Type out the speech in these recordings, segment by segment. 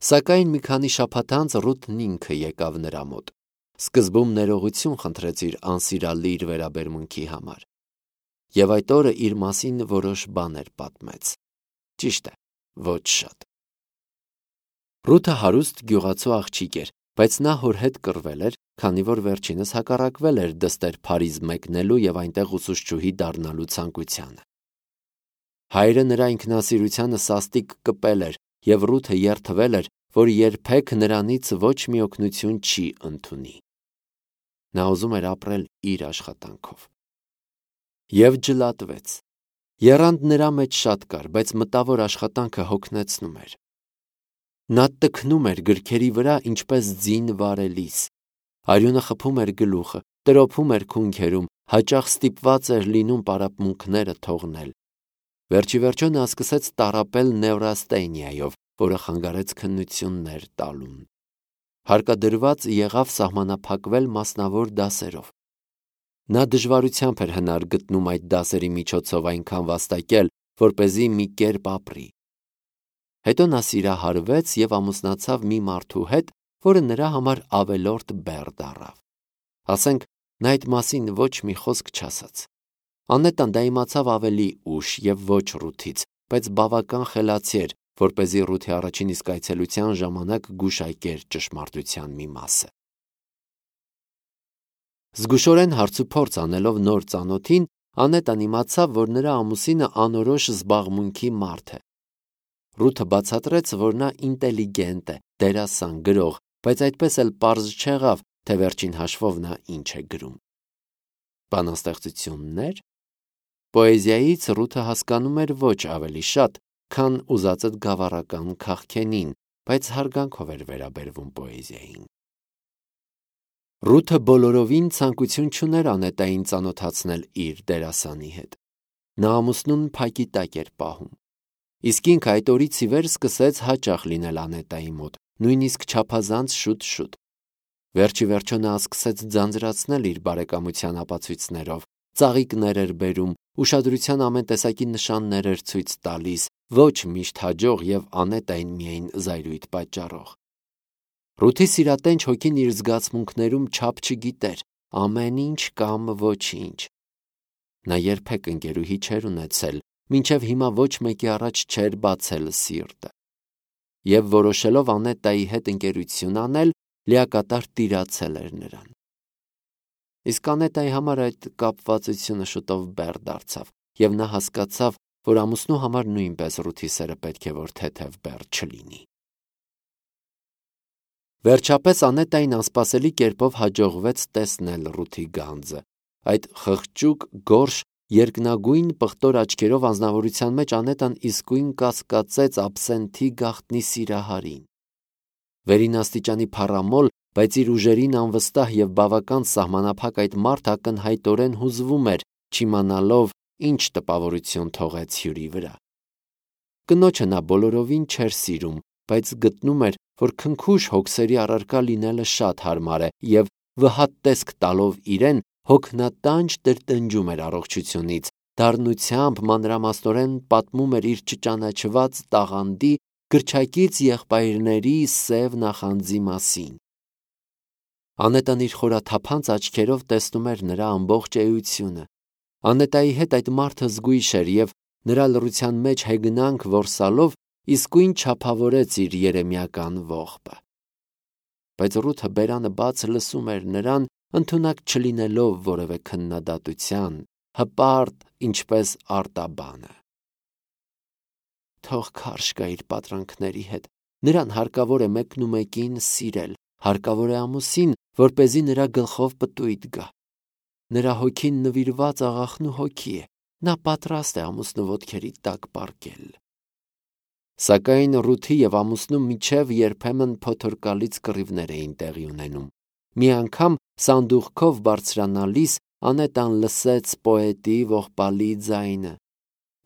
Սակայն մի քանի շաբաթ անց Ռութն ինքը եկավ նրա մոտ։ Սկզբում ներողություն խնդրեց իր անսիրալիր վերաբերմունքի համար։ Եվ այդ օրը իր մասին որոշ բաներ պատմեց։ Ճիշտ է, ոչ շատ։ Ռութը հարուստ գյուղացու աղջիկ էր, բայց նա հոր հետ կռվել էր, քանի որ վերջինս հակառակվել էր դստեր Փարիզ մեկնելու եւ այնտեղ ուսուցչուհի դառնալու ցանկությանը։ Հայրը նրա ինքնասիրությանը սաստիկ կպել էր եւ Ռութը երդվել էր, որ երբեք նրանից ոչ մի օգնություն չի ընդունի։ Նա ուզում էր ապրել իր աշխատանքով։ Եվ ջլատվեց։ Եռանդ նրա մեջ շատ կար, բայց մտավոր աշխատանքը հոգնեցնում էր։ Նա տքնում էր գրքերի վրա ինչպես ձին վարելիս։ Արյունը խփում էր գլուխը, տրոփում էր քունքերում, հաճախ ստիպված էր լինում պարապմունքները թողնել։ Վերջիվերջո նա սկսեց տառապել նևրաստենիայով, որը խանգարեց քննություններ տալուն։ Հարկադրված եղավ սահմանափակվել մասնավոր դասերով։ Նա դժվարությամբ էր հնար գտնում այդ դասերի միջոցով այնքան վաստակել, որպեսզի մի կերպ ապրի։ Հետո նա սիրահարվեց եւ ամուսնացավ մի մարդու հետ, որը նրա համար ավելորդ բեռ դառավ։ Ասենք, նա այդ մասին ոչ մի խոսք չասաց։ Անետան դա իմացավ ավելի ուշ եւ ոչ Ռութից, բայց բավական խելացի էր, որպեսզի Ռութի առաջին իսկ այցելության ժամանակ գուշակեր ճշմարտության մի մասը։ Զգուշորեն հարցուփորձ անելով նոր ծանոթին, Անետան իմացավ, որ նրա ամուսինը անորոշ զբաղմունքի մարդ է։ Ռութը բացատրեց, որ նա ինտելիգենտ է, դերասան, գրող, բայց այդպես էլ պարզ չեղավ, թե վերջին հաշվով նա ինչ է գրում։ Բանաստեղծություններ։ Պոեզիայից Ռութը հասկանում էր ոչ ավելի շատ, քան ուզածդ գավառական քաղքենին, բայց հարգանքով էր վերաբերվում պոեզիային։ Ռութը բոլորովին ցանկություն չուներ Անետային ծանոթացնել իր դերասանի հետ։ Նա ամուսնուն փակի տակ էր պահում։ Իսկ ինքը այդ օրից ի վեր սկսեց հաճախ լինել Անետայի մոտ, նույնիսկ չափազանց շուտ։ Վերջիվերջո նա սկսեց ձանձրացնել իր բարեկամության ապացույցներով, ծաղիկներ էր բերում, ուշադրության ամեն տեսակի նշաններ էր ցույց տալիս, ոչ միշտ հաջող եւ Անետային միայն զայրույթ պատճառող։ Ռութի սիրատենչ հոգին իր զգացմունքներում չափ չգիտեր, ամեն ինչ կամ ոչինչ։ Նա երբեք ընկերուհի չէր ունեցել, մինչև հիմա ոչ մեկի առաջ չէր բացել սիրտը։ Եվ որոշելով Անետայի հետ ընկերություն անել, լիակատար տիրացել էր նրան։ Իսկ Անետայի համար այդ կապվածությունը շուտով բեռ դարձավ, եւ նա հասկացավ, որ ամուսնու համար նույնպես Ռութի սերը պետք է որ թեթև բեռ չլինի։ Վերջապես Անետային անսպասելի կերպով հաջողվեց տեսնել Ռութի գանձը։ Այդ խղճուկ, գորշ, երկնագույն պղտոր աչքերով անձնավորության մեջ Անետան իսկույն կասկածեց աբսենթի գաղտնի սիրահարին։ Վերին աստիճանի փառամոլ, բայց իր ուժերին անվստահ եւ բավական սահմանափակ այդ մարդը ակնհայտորեն հուզվում էր, չիմանալով ինչ տպավորություն թողեց հյուրի վրա։ Կնոջը նա բոլորովին չէր սիրում, բայց գտնում էր, որ քնքուշ հոգսերի առարկա լինելը շատ հարմար է եւ վհատ տեսք տալով իրեն հոգնատանջ տրտնջում էր առողջությունից, դառնությամբ մանրամասնորեն պատմում էր իր չճանաչված տաղանդի գրչակից եղբայրների սև նախանձի մասին։ Անետան իր խորաթափանց աչքերով տեսնում էր նրա ամբողջ էությունը։ Անետայի հետ այդ մարդը զգույշ էր եւ նրա լռության մեջ հեգնանք որսալով իսկույն չափավորեց իր երեմիական ողբը։ Բայց Ռութը բերանը բաց լսում էր նրան, ընդունակ չլինելով որևէ քննադատության, հպարտ, ինչպես արտաբանը։ Թող քարշ գա իր պատրանքների հետ, նրան հարկավոր է մեկնումեկին սիրել, հարկավոր է ամուսին, որպեսզի նրա գլխով պտույտ գա։ Նրա հոգին նվիրված աղախնու հոգի է, նա պատրաստ է ամուսնու ոտքերի տակ պառկել։ Սակայն Ռութի եւ ամուսնու միջև երբեմն փոթորկալից կռիվներ էին տեղի ունենում։ Մի անգամ սանդուղքով բարձրանալիս Անետան լսեց պոետի ողբալի ձայնը։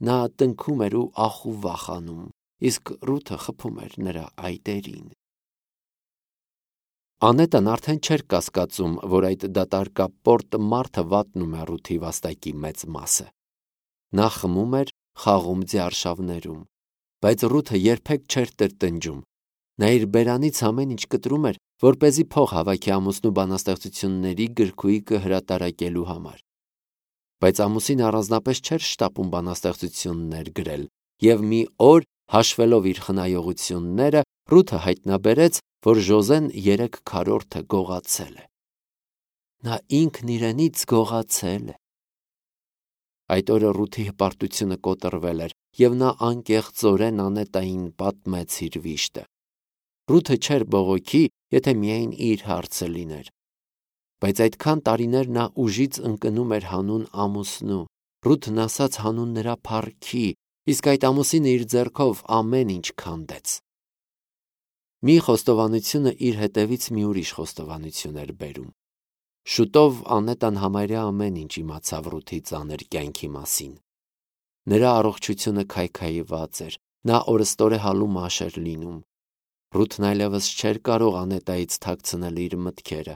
Նա տնքում էր ու ախ ու վախանում, իսկ Ռութը խփում էր նրա այտերին։ Անետան արդեն չէր կասկածում, որ այդ դատարկապորտ մարդը վատնում է Ռութի վաստակի մեծ մասը։ Նա խմում էր, խաղում ձիարշավներում, բայց Ռութը երբեք չէր տրտնջում։ Նա իր բերանից ամեն ինչ կտրում էր, որպեսզի փող հավաքի ամուսնու բանաստեղծությունների գրքույկը հրատարակելու համար։ Բայց ամուսինը առանձնապես չէր շտապում բանաստեղծություններ գրել, եւ մի օր, հաշվելով իր խնայողությունները, Ռութը հայտնաբերեց, որ Ժոզեն 3 քառորդը գողացել է։ Նա ինքն իրենից գողացել է։ Այդ օրը Ռութի հպարտությունը կոտրվել էր, եւ նա անկեղծորեն Անետային պատմեց իր վիշտը։ Ռութը չէր բողոքի, եթե միայն իր հարցը լիներ։ Բայց այդքան տարիներ նա ուժից ընկնում էր հանուն ամուսնու։ Ռութն ասաց հանուն նրա փառքի, իսկ այդ ամուսինը իր ձեռքով ամեն ինչ քանդեց։ Մի խոստովանությունը իր հետևից մի ուրիշ խոստովանություն էր բերում։ Շուտով Անետան համարյա ամեն ինչ իմացավ Ռութի ծանր կյանքի մասին։ Նրա առողջությունը քայքայված էր, նա օրստորե մաշ էր լինում։ Ռութն այլևս չէր կարող Անետայից թաքցնել իր մտքերը։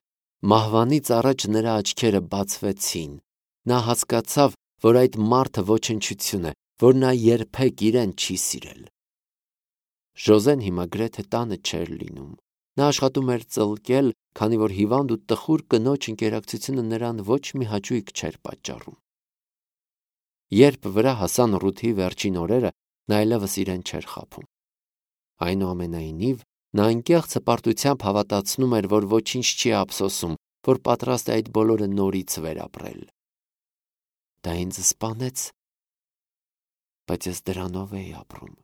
Մահվանից առաջ նրա աչքերը բացվեցին։ Նա հասկացավ, որ այդ մարդը ոչնչություն է, որ նա երբեք իրեն չի սիրել։ Ժոզեն հիմա գրեթե տանը չէր լինում։ Նա աշխատում էր ծլկել, քանի որ հիվանդ ու տխուր կնոջ ընկերակցությունը նրան ոչ մի հաճույք չէր պատճառում։ Երբ վրա հասան Ռութի վերջին օրերը, նա այլևս իրեն չէր խաբում։ Այնուամենայնիվ, նա անկեղծ հպարտությամբ հավատացնում էր, որ ոչինչ չի ափսոսում, որ պատրաստ է այդ բոլորը նորից վերապրել։ Դա ինձ սպանեց, բայց ես դրանով էի ապրում։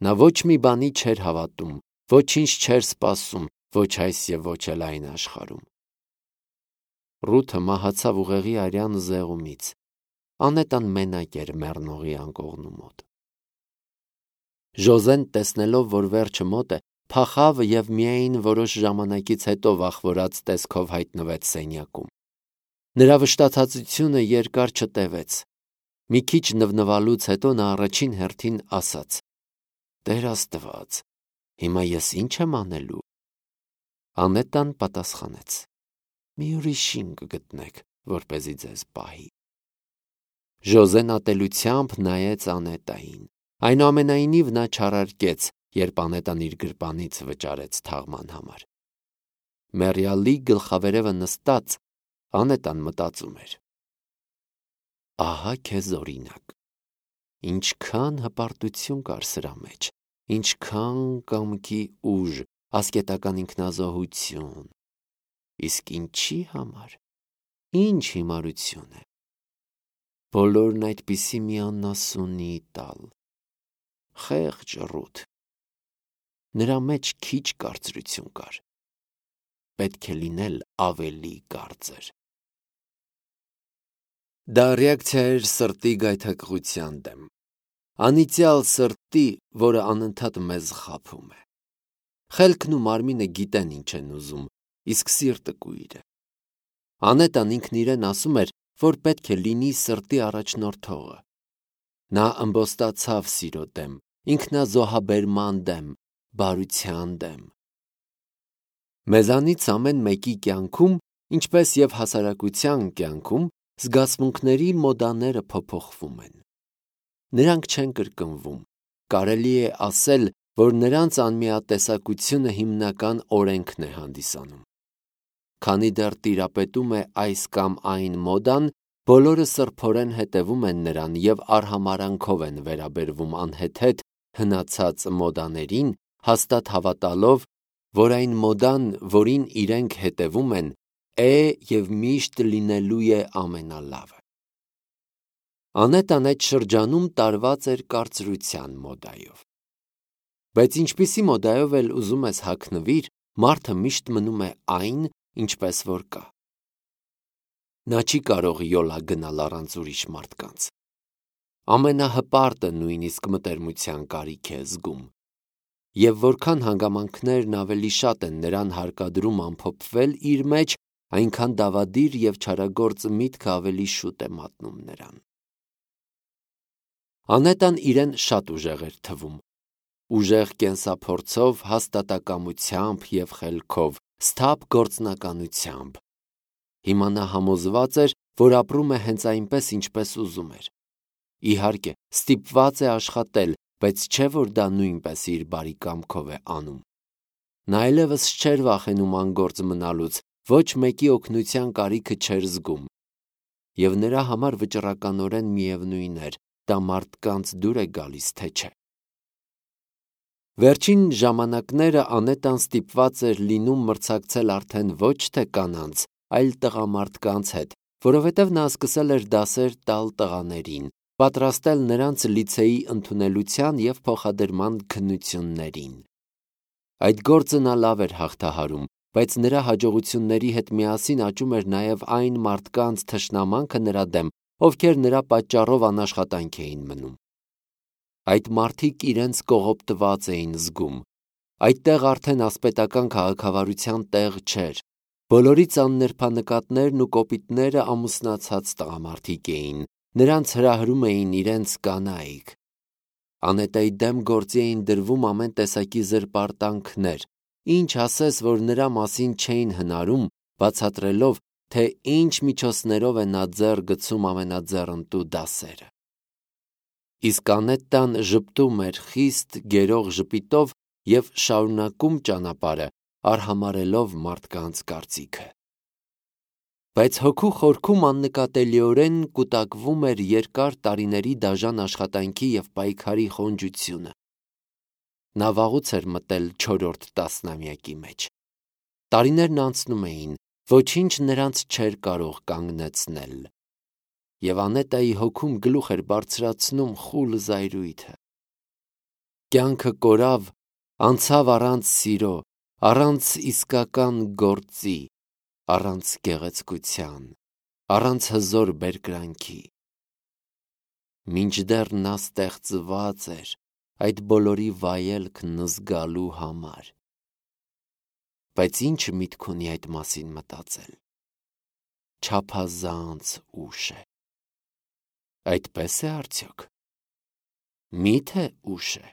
Նա ոչ մի բանի չէր հավատում, ոչինչ չէր սպասում, ոչ այս եւ ոչ էլ այն աշխարհում։ Ռութը մահացավ ուղեղի արյան զեղումից։ Անետան մենակ էր մեռնողի անկողնու մոտ։ Ժոզեն, տեսնելով, որ վերջը մոտ է, փախավ եւ միայն որոշ ժամանակից հետո վախվորած տեսքով հայտնվեց սենյակում։ Նրա վշտացածությունը երկար չտևեց։ Մի քիչ նվնվալուց հետո նա առաջին հերթին ասաց. «Տեր Աստված, հիմա ես ինչ եմ անելու»։ Անետան պատասխանեց. «Մի ուրիշին կգտնեք, որպեսզի ձեզ պահի»։ Ժոզեն ատելությամբ նայեց Անետային։ Այնուամենայնիվ նա չարարկեց, երբ Անետան իր գրպանից վճարեց թաղման համար։ Մեռյալի գլխավերևը նստած, Անետան մտածում էր. ահա քեզ օրինակ։ Ինչքան հպարտություն կար սրա մեջ, ինչքան կամքի ուժ, ասկետական ինքնազոհություն։ Իսկ ինչի համար, ինչ հիմարություն է։ Բոլորն այդպիսի մի անասունի տալ։ Խեղճ Ռութ։ Նրա մեջ քիչ կարծրություն կար։ Պետք է լինել ավելի կարծր։ Դա ռեակցիա էր սրտի գայթակղության դեմ։ Անիծյալ սրտի, որը անընդհատ մեզ խաբում է։ Խելքն ու մարմինը գիտեն ինչ են ուզում, իսկ սիրտը կույր է։ Անետան ինքն իրեն ասում էր, որ պետք է լինի սրտի առաջնորդողը։ Նա ըմբոստացավ սիրո դեմ, ինքնազոհաբերման դեմ, բարության դեմ։ Մեզանից ամեն մեկի կյանքում, ինչպես եւ հասարակության կյանքում, զգացմունքների մոդաները փոփոխվում են։ Նրանք չեն կրկնվում։ Կարելի է ասել, որ նրանց անմիատեսակությունը հիմնական օրենքն է հանդիսանում։ Քանի դեռ տիրապետում է այս կամ այն մոդան, բոլորը սրբորեն հետևում են նրան եւ արհամարանքով են վերաբերվում անհեթեթ հնացած մոդաներին, հաստատ հավատալով, որ այն մոդան, որին իրենք հետևում են, է եւ միշտ լինելու է ամենալավը։ Անետան այդ շրջանում տարված էր կարծրության մոդայով։ Բայց ինչպիսի մոդայով էլ ուզում ես հագնվիր, մարդը միշտ մնում է այն, ինչպես որ կա։ Նա չի կարող յոլա գնալ առանց ուրիշ մարդկանց։ Ամենահպարտը նույնիսկ մտերմության կարիք է զգում։ Եվ որքան հանգամանքներն ավելի շատ են նրան հարկադրում ամփոփվել իր մեջ, այնքան դավադիր եւ չարագործ միտքը ավելի շուտ է մատնում նրան։ Անետան իրեն շատ ուժեղ էր թվում։ Ուժեղ կենսափորձով, հաստատակամությամբ եւ խելքով, սթափ գործնականությամբ։ Հիմա նա համոզված էր, որ ապրում է հենց այնպես, ինչպես ուզում էր։ Իհարկե, ստիպված է աշխատել, բայց չէ որ դա նույնպես իր բարի կամքով է անում։ Նա այլևս չէր վախենում անգործ մնալուց, ոչ մեկի օգնության կարիքը չէր զգում, և նրա համար վճռականորեն միևնույն էր, դա մարդկանց դուր է գալիս, թե չէ։ Վերջին ժամանակները Անետան ստիպված էր լինում մրցակցել արդեն ոչ թե կանանց, այլ տղամարդկանց հետ, որովհետև նա սկսել էր դասեր տալ տղաներին, պատրաստել նրանց լիցեի ընդունելության և փոխադրման քննություններին։ Այդ գործը նա լավ էր հաղթահարում, բայց նրա հաջողությունների հետ միասին աճում էր նաև այն մարդկանց թշնամանքը նրա դեմ, ովքեր նրա պատճառով անաշխատանք էին մնում։ Այդ մարդիկ իրենց կողոպտված էին զգում։ Այդտեղ արդեն ասպետական քաղաքավարության տեղ չէր։ Բոլորից աննրբանկատներն ու կոպիտները ամուսնացած տղամարդիկ էին, նրանց հրահրում էին իրենց կանայք։ Անետայի դեմ գործի էին դրվում ամեն տեսակի զրպարտանքներ, ինչ ասես, որ նրա մասին չէին հնարում, բացատրելով, թե ինչ միջոցներով է նա ձեռ գցում ամենաձեռնտու դասերը։ Իսկ Անետան ժպտում էր խիստ գերող ժպիտով և շարունակում ճանապարհը, արհամարհելով մարդկանց կարծիքը։ Բայց հոգու խորքում աննկատելիորեն կուտակվում էր երկար տարիների դաժան աշխատանքի և պայքարի խոնջությունը։ Նա վաղուց էր մտել 4-րդ տասնամյակի մեջ։ Տարիներն անցնում էին, ոչինչ նրանց չէր կարող կանգնեցնել։ Եվ Անետայի հոգում գլուխ էր բարձրացնում խուլ զայրույթը։ Կյանքը կորավ, անցավ առանց սիրո, առանց իսկական գործի, առանց գեղեցկության, առանց հզոր բերկրանքի։ Մինչդեռ նա ստեղծված էր այդ բոլորի վայելքն զգալու համար։ Բայց ինչ միտք ունի այդ մասին մտածել։ Չափազանց ուշ է։ Այդպես է արդյոք։ Միթե ուշ է։